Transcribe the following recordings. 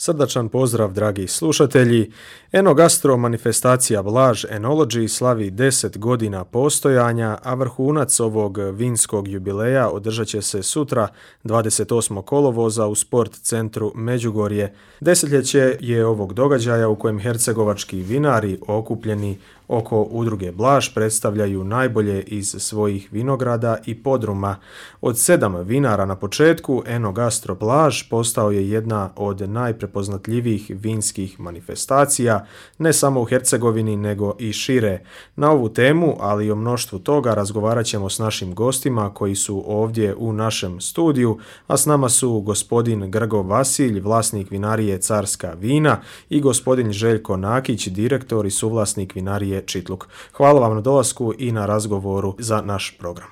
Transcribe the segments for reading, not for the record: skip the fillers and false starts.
Srdačan pozdrav, dragi slušatelji. Enogastro manifestacija Blaž Enology slavi 10 godina postojanja, a vrhunac ovog vinskog jubileja održat će se sutra, 28. kolovoza u Sport centru Međugorje. Desetljeće je ovog događaja u kojem hercegovački vinari okupljeni oko udruge Blaž predstavljaju najbolje iz svojih vinograda i podruma. Od 7 vinara na početku, Enogastro Blaž postao je jedna od najprepoznatljivijih vinskih manifestacija, ne samo u Hercegovini nego i šire. Na ovu temu, ali i o mnoštvu toga, razgovarat ćemo s našim gostima koji su ovdje u našem studiju, a s nama su gospodin Grgo Vasilj, vlasnik vinarije Carska vina, i gospodin Željko Nakić, direktor i suvlasnik vinarije Čitluk. Hvala vam na dolasku i na razgovoru za naš program.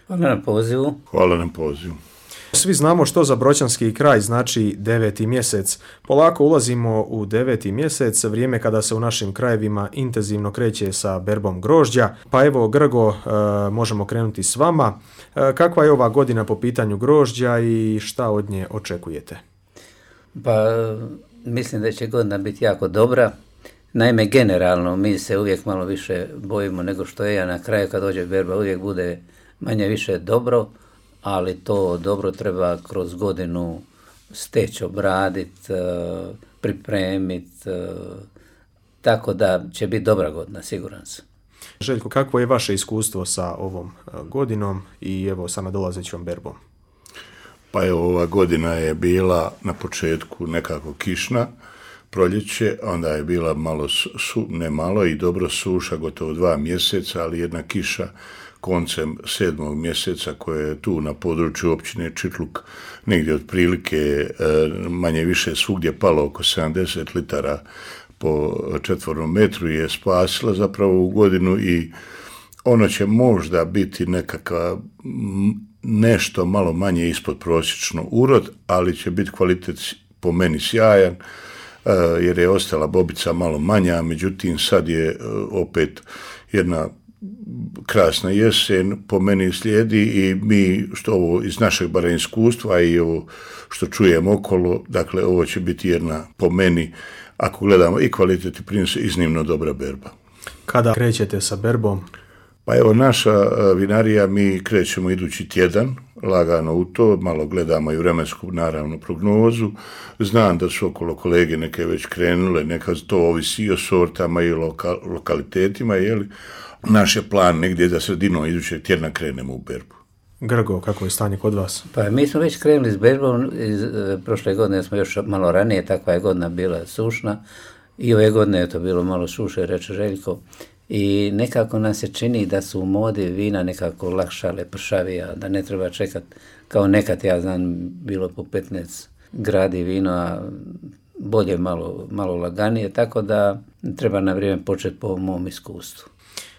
Hvala na pozivu. Hvala na pozivu. Svi znamo što za broćanski kraj znači 9. mjesec. Polako ulazimo u 9. mjesec, vrijeme kada se u našim krajevima intenzivno kreće sa berbom grožđa. Pa evo, Grgo, možemo krenuti s vama. Kakva je ova godina po pitanju grožđa i šta od nje očekujete? Pa mislim da će godina biti jako dobra. Naime, generalno mi se uvijek malo više bojimo nego što je, a na kraju kad dođe berba uvijek bude manje više dobro, ali to dobro treba kroz godinu steći, obraditi, pripremiti, tako da će biti dobra godina, siguran sam. Željko, kakvo je vaše iskustvo sa ovom godinom i evo sa nadolazećom berbom? Pa evo, ova godina je bila na početku nekako kišna, proljeće, onda je bila malo, ne malo i dobro suša, gotovo 2 mjeseca, ali jedna kiša koncem 7. mjeseca koja je tu na području općine Čitluk negdje otprilike manje više svugdje palo oko 70 litara po četvornom metru je spasila zapravo u godinu i ono će možda biti nekakav nešto malo manje ispod prosječno urod, ali će biti kvalitet po meni sjajan, jer je ostala bobica malo manja, međutim sad je opet jedna krasna jesen po meni slijedi i mi što ovo iz našeg barem iskustva i ovo što čujem okolo, dakle ovo će biti jedna po meni, ako gledamo i kvalitet i prinos, iznimno dobra berba. Kada krećete sa berbom? Pa evo, naša vinarija, mi krećemo idući tjedan, lagano u to, malo gledamo i vremensku, naravno, prognozu. Znam da su okolo kolege neke već krenule, neka to ovisi i o sortama i lokalitetima, jeli? Naš je plan negdje da sredinom idućeg tjedna krenemo u berbu. Grgo, kako je stanje kod vas? Pa mi smo već krenuli s berbom, prošle godine smo još malo ranije, takva je godina bila sušna i ove godine je to bilo malo suše, reče Željko. I nekako nam se čini da su u modi vina nekako lakšale, pršavija, da ne treba čekati kao nekad, ja znam, bilo po 15 gradi vino, a bolje malo laganije, tako da treba na vrijeme početi po mom iskustvu.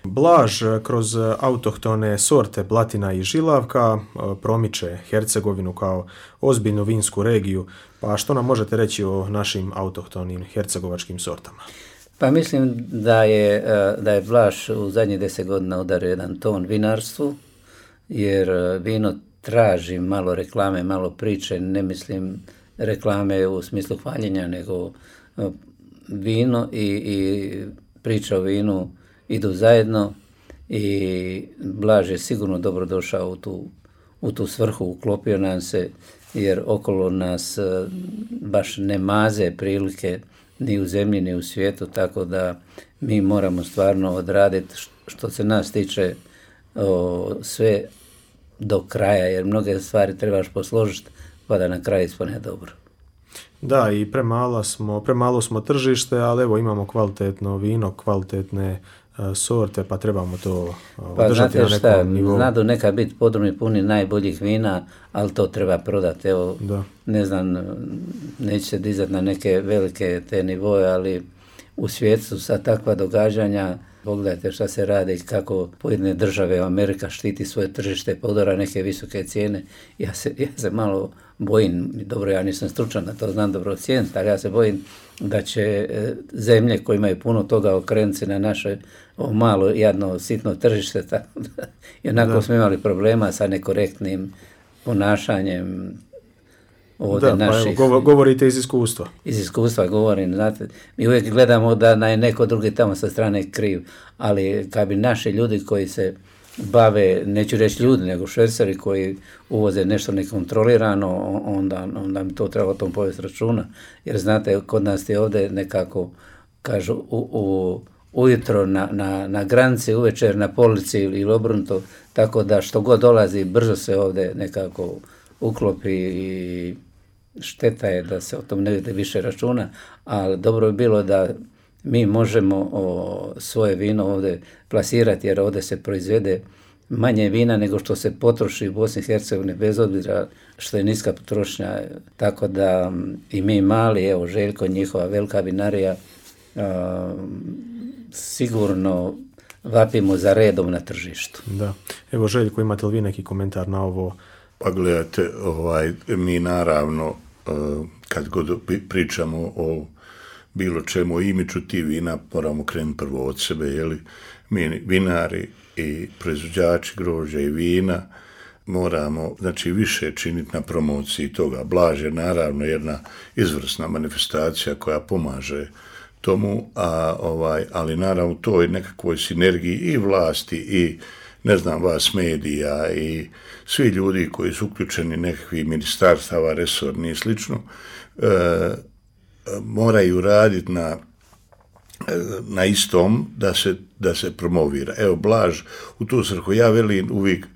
Blaž kroz autohtone sorte Blatina i Žilavka promiče Hercegovinu kao ozbiljnu vinsku regiju, pa što nam možete reći o našim autohtonim hercegovačkim sortama? Pa mislim da je Blaž u zadnjih 10 godina udario jedan ton vinarstvu, jer vino traži malo reklame, malo priče, ne mislim reklame u smislu hvaljenja, nego vino i priča o vinu idu zajedno i Blaž je sigurno dobro došao u tu svrhu, uklopio nam se, jer okolo nas baš ne maze prilike ni u zemlji, ni u svijetu, tako da mi moramo stvarno odraditi što se nas tiče sve do kraja, jer mnoge stvari trebaš posložiti pa da na kraju ispane dobro. Da, i premalo smo tržište, ali evo imamo kvalitetno vino, kvalitetne sorte, pa trebamo to održati na nekom nivou. Znadu neka biti podrumi puni najboljih vina, ali to treba prodati. Evo, da. Ne znam, neće se dizati na neke velike te nivoje, ali u svijetu sa takva događanja, pogledajte šta se radi, kako pojedine države, Amerika štiti svoje tržište, pa udara neke visoke cijene. Ja se malo bojim, dobro, ja nisam stručan da to znam dobro ocijeniti, ali ja se bojim da će zemlje koje imaju puno toga okrenuti se na naše malo jadno sitno tržište, tako da i onako smo imali problema sa nekorektnim ponašanjem ovdje naših. Pa evo, govorite iz iskustva. Iz iskustva govorim, znate, mi uvijek gledamo da je neko drugi tamo sa strane kriv, ali kad bi naši ljudi koji se bave, neću reći ljudi, nego šverceri koji uvoze nešto nekontrolirano, onda mi to treba o tom povesti računa. Jer znate, kod nas je ovdje nekako, kažu, ujutro na granici, uvečer na polici ili obrnuto, tako da što god dolazi, brzo se ovdje nekako uklopi i šteta je da se o tom ne vidi više računa, ali dobro bi bilo da mi možemo svoje vino ovdje plasirati, jer ovdje se proizvede manje vina nego što se potroši u Bosni i Hercegovini, bez obzira što je niska potrošnja, tako da i mi mali, evo Željko, njihova velika vinarija, sigurno vapimo za redom na tržištu. Da. Evo Željko, imate li vi neki komentar na ovo? Pa gledajte, mi naravno, kad god pričamo o bilo čemu imidžu ti vina, moramo krenuti prvo od sebe, jeli? Mi vinari i proizvođači grožđa i vina moramo, znači, više činiti na promociji toga. Blaž je naravno jedna izvrsna manifestacija koja pomaže tomu, ali naravno to je nekakvoj sinergiji i vlasti i ne znam vas medija i svi ljudi koji su uključeni nekakvih ministarstava, resorni i slično, moraju raditi na istom da se promovira. Evo, Blaž, u tu svrhu ja velim uvijek,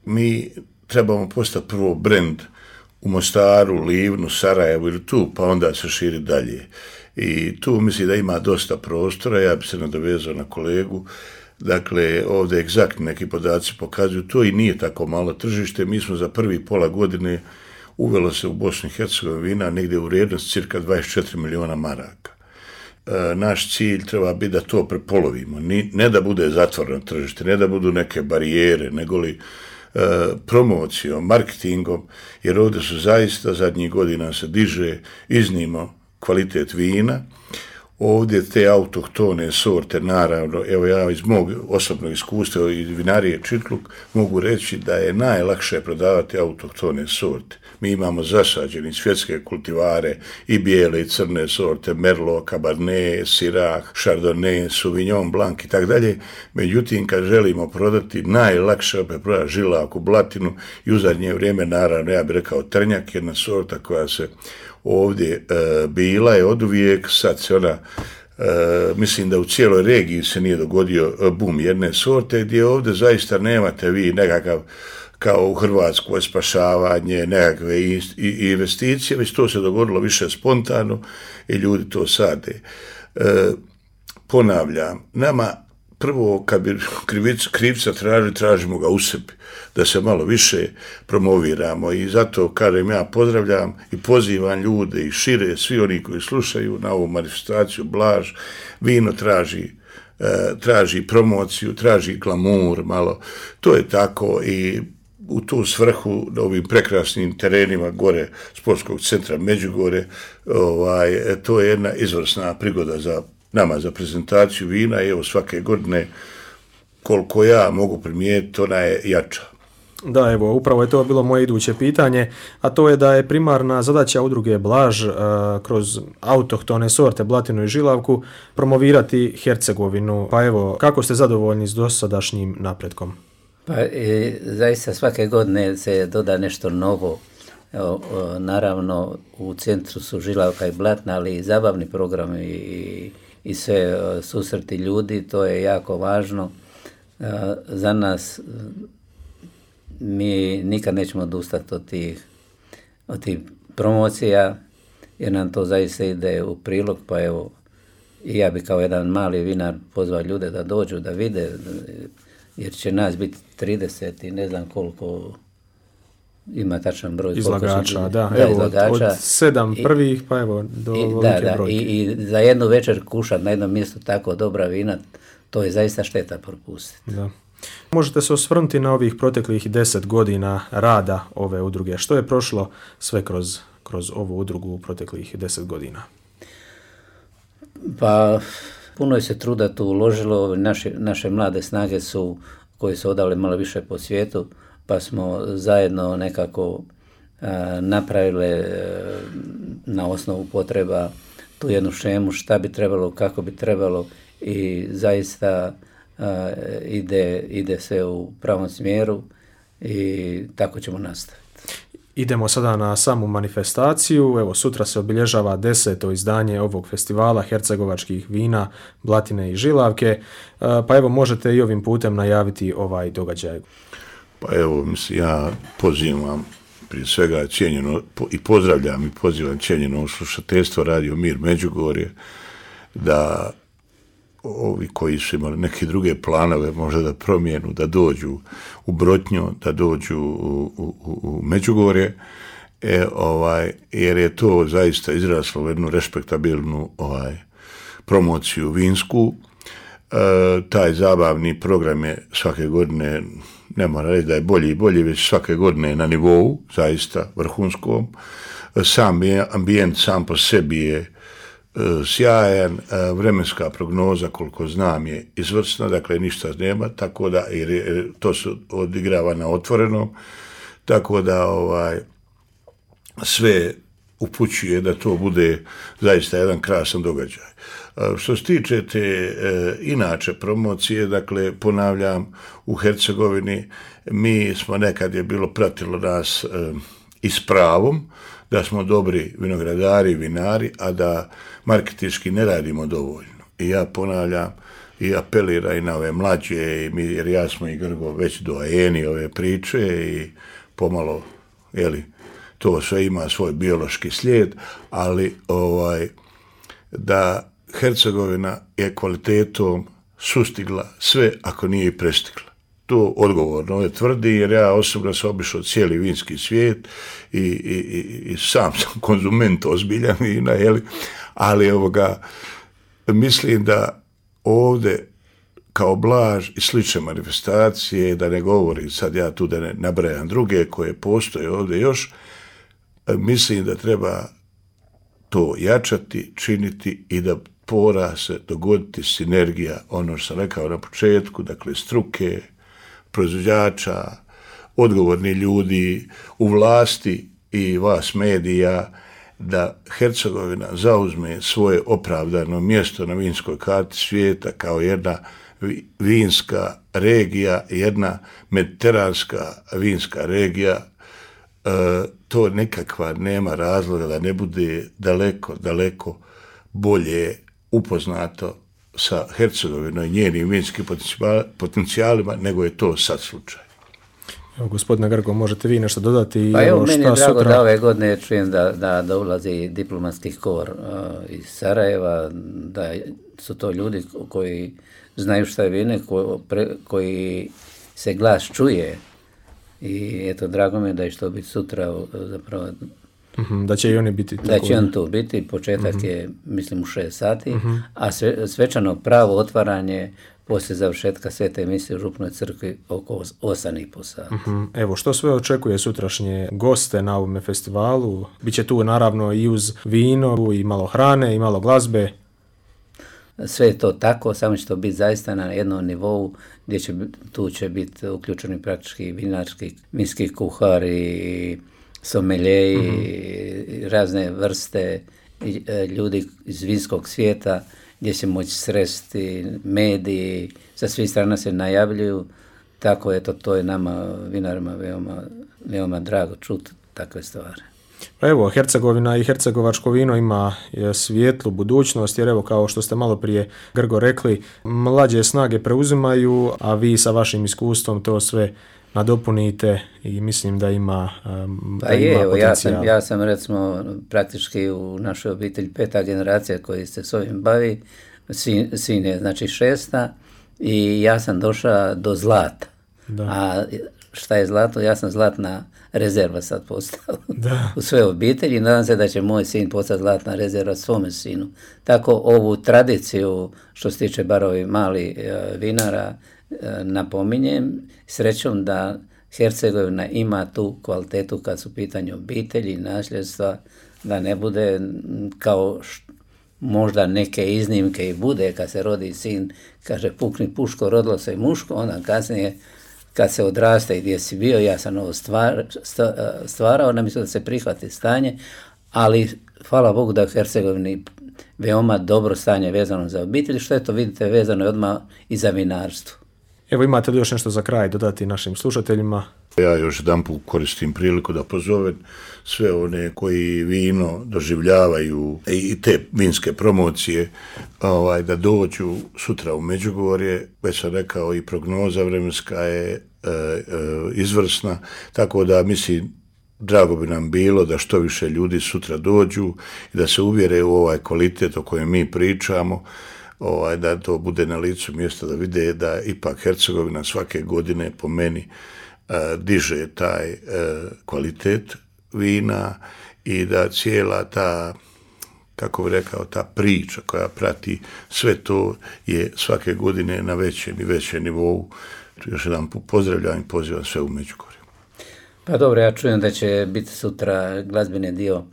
mi trebamo postati prvo brend u Mostaru, Livnu, Sarajevu ili tu, pa onda se širi dalje. I tu mislim da ima dosta prostora, ja bi se nadovezao na kolegu. Dakle, ovdje egzaktni neki podaci pokazuju to i nije tako malo tržište. Mi smo za prvi pola godine uvelo se u Bosni i Hercegovini vina negdje u vrijednost cirka 24 miliona maraka. Naš cilj treba biti da to prepolovimo, ne da bude zatvoreno tržište, ne da budu neke barijere, nego li promocijom, marketingom, jer ovdje su zaista zadnjih godina se diže iznimno kvalitet vina. Ovdje te autohtone sorte, naravno, evo ja iz mog osobnog iskustva iz vinarije Čitluk mogu reći da je najlakše prodavati autohtone sorte. Mi imamo zasađeni svjetske kultivare i bijele i crne sorte, Merlot, Cabernet, Syrah, Chardonnay, Sauvignon Blanc i tako dalje. Međutim, kad želimo prodati, najlakše opet prodati žilaku, blatinu i u zadnje vrijeme, naravno, ja bih rekao trnjak, jedna sorta koja se ovdje bila je oduvijek, sad se ona, mislim da u cijeloj regiji se nije dogodio bum jedne sorte, gdje ovdje zaista nemate vi nekakav, kao u Hrvatskoj, spašavanje, nekakve investicije, već to se dogodilo više spontano i ljudi to sade. Ponavljam, nama prvo, kad bi krivca tražimo ga u sebi, da se malo više promoviramo i zato, kažem, ja pozdravljam i pozivam ljude i šire, svi oni koji slušaju na ovu manifestaciju Blaž, vino traži promociju, traži glamur malo, to je tako i u tu svrhu na ovim prekrasnim terenima gore sportskog centra Međugorje, to je jedna izvrsna prigoda za nama za prezentaciju vina i evo svake godine koliko ja mogu primijetiti, ona je jača. Da, evo, upravo je to bilo moje iduće pitanje, a to je da je primarna zadaća udruge Blaž kroz autohtone sorte, blatinu i žilavku promovirati Hercegovinu. Pa evo, kako ste zadovoljni s dosadašnjim napretkom? Pa zaista svake godine se doda nešto novo. Evo, naravno, u centru su žilavka i blatna, ali i zabavni programi i sve susreti ljudi, to je jako važno. Za nas mi nikad nećemo odustati od tih promocija, jer nam to zaista ide u prilog, pa evo, i ja bi kao jedan mali vinar pozvao ljude da dođu, da vide, jer će nas biti 30 i ne znam koliko ima tačan broj. Izlagača, da, evo, izlagača. Od 7 prvih, pa evo, do velike brojke. I za jednu večer kušati na jednom mjestu tako dobra vina, to je zaista šteta propustiti. Da. Možete se osvrnuti na ovih proteklih 10 godina rada ove udruge. Što je prošlo sve kroz ovu udrugu u proteklih 10 godina? Pa, puno je se truda tu uložilo. Naše mlade snage koje su odale malo više po svijetu, pa smo zajedno nekako napravile na osnovu potreba tu jednu šemu šta bi trebalo, kako bi trebalo i zaista ide sve u pravom smjeru i tako ćemo nastaviti. Idemo sada na samu manifestaciju. Evo, sutra se obilježava 10. izdanje ovog festivala hercegovačkih vina, Blatine i Žilavke. Pa evo, možete i ovim putem najaviti ovaj događaj. Pa evo, mislim, ja pozivam prije svega cijenjeno i pozdravljam i pozivam cijenjeno slušateljstvo Radio Mir Međugorje da ovi koji su imali neke druge planove možda da promijenu, da dođu u Brotnju, da dođu u Međugorje, jer je to zaista izraslo u jednu respektabilnu promociju vinsku. Taj zabavni program je svake godine, ne moram reći da je bolji i bolji, već svake godine na nivou, zaista vrhunskom. Sam ambijent sam po sebi je sjajan, vremenska prognoza koliko znam je izvrsna, dakle ništa nema, tako da jer to se odigrava na otvorenom, tako da sve upućuje da to bude zaista jedan krasan događaj. Što se tiče te inače promocije, dakle ponavljam, u Hercegovini mi smo nekad je bilo pratilo nas i s pravom da smo dobri vinogradari, vinari, a da marketinški ne radimo dovoljno. I ja ponavljam i apeliram i na ove mlađe, jer ja smo i Grgo već doajeni ove priče i pomalo, to sve ima svoj biološki slijed, ali da Hercegovina je kvalitetom sustigla sve ako nije i prestigla. To odgovorno je tvrdi, jer ja osobno sam obišao cijeli vinski svijet i sam sam konzument ozbiljan vina, ali mislim da ovdje kao Blaž i slične manifestacije, da ne govorim sad ja tu da ne nabrajam druge koje postoje ovdje još, mislim da treba to jačati, činiti i da mora se dogoditi sinergija, ono što sam rekao na početku, dakle struke, proizvođača, odgovorni ljudi u vlasti i vas medija, da Hercegovina zauzme svoje opravdano mjesto na vinskoj karti svijeta kao jedna vinska regija, jedna mediteranska vinska regija. To nekakva nema razloga da ne bude daleko bolje upoznato sa Hercegovinom i njenim vinskim potencijalima, nego je to sad slučaj. Evo, gospodine Grgo, možete vi nešto dodati? Pa evo, meni je drago da ove godine čujem da ulazi diplomatski kor iz Sarajeva, da su to ljudi koji znaju šta je vine, koji se glas čuje. I eto, drago mi je da će to biti sutra zapravo. Da će i oni biti. Da će on tu biti, početak je mislim u 6 sati, a svečano pravo otvaranje poslije završetka svete emisije u Župnoj crkvi oko 8,5 sati. Evo, što sve očekuje sutrašnje goste na ovome festivalu? Biće tu naravno i uz vino, i malo hrane, i malo glazbe. Sve je to tako, samo će to biti zaista na jednom nivou gdje tu će biti uključeni praktički vinski kuhari, someljeji, razne vrste ljudi iz vinskog svijeta gdje će moći sresti mediji, sa svih strana se najavljuju, tako eto, to je nama vinarima veoma drago čuti takve stvari. Pa evo, Hercegovina i hercegovačko vino ima svijetlu budućnost, jer evo, kao što ste malo prije Grgo rekli, mlađe snage preuzimaju, a vi sa vašim iskustvom to sve nadopunite i mislim da ima potencijal. Ja sam recimo praktički u našoj obitelji 5. generacija koji se s ovim bavi, sin je znači 6. i ja sam došao do zlata. Da. A šta je zlato? Ja sam zlatna rezerva sad postao u sve obitelji. Nadam se da će moj sin postati zlatna rezerva svome sinu. Tako ovu tradiciju što se tiče bar ovih malih vinara napominjem, srećom da Hercegovina ima tu kvalitetu kad su u pitanju obitelji i nasljedstva, da ne bude kao možda neke iznimke i bude kad se rodi sin, kaže pukni puško, rodilo se i muško, onda kasnije kad se odraste i gdje si bio, ja sam ovo stvarao, ne mislim da se prihvati stanje, ali hvala Bogu da u Hercegovini veoma dobro stanje vezano za obitelj, što je to vidite vezano je odmah i za vinarstvo. Evo, imate li još nešto za kraj dodati našim slušateljima? Ja još jedanput koristim priliku da pozovem sve one koji vino doživljavaju i te vinske promocije da dođu sutra u Međugorje. Već sam rekao i prognoza vremenska je izvrsna, tako da mislim drago bi nam bilo da što više ljudi sutra dođu i da se uvjere u ovaj kvalitet o kojem mi pričamo, da to bude na licu mjesta, da vide da ipak Hercegovina svake godine po meni diže taj kvalitet vina i da cijela ta, kako bih rekao, ta priča koja prati sve to je svake godine na većem i većem nivou. Još jedan pozdravljam i pozivam sve u Međugorje. Pa dobro, ja čujem da će biti sutra glazbeni dio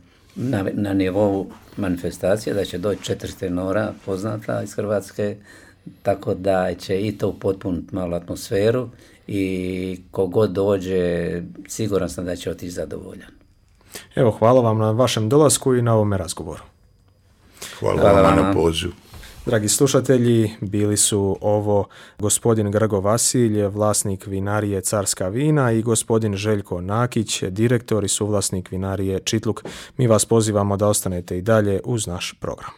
na nivou manifestacije, da će doći 4 tenora poznata iz Hrvatske, tako da će i to upotpuniti malo atmosferu i kogod dođe, siguran sam da će otići zadovoljan. Evo, hvala vam na vašem dolasku i na ovome razgovoru. Hvala vam na pozivu. Dragi slušatelji, bili su ovo gospodin Grgo Vasilj, vlasnik vinarije Carska vina, i gospodin Željko Nakić, direktor i suvlasnik vinarije Čitluk. Mi vas pozivamo da ostanete i dalje uz naš program.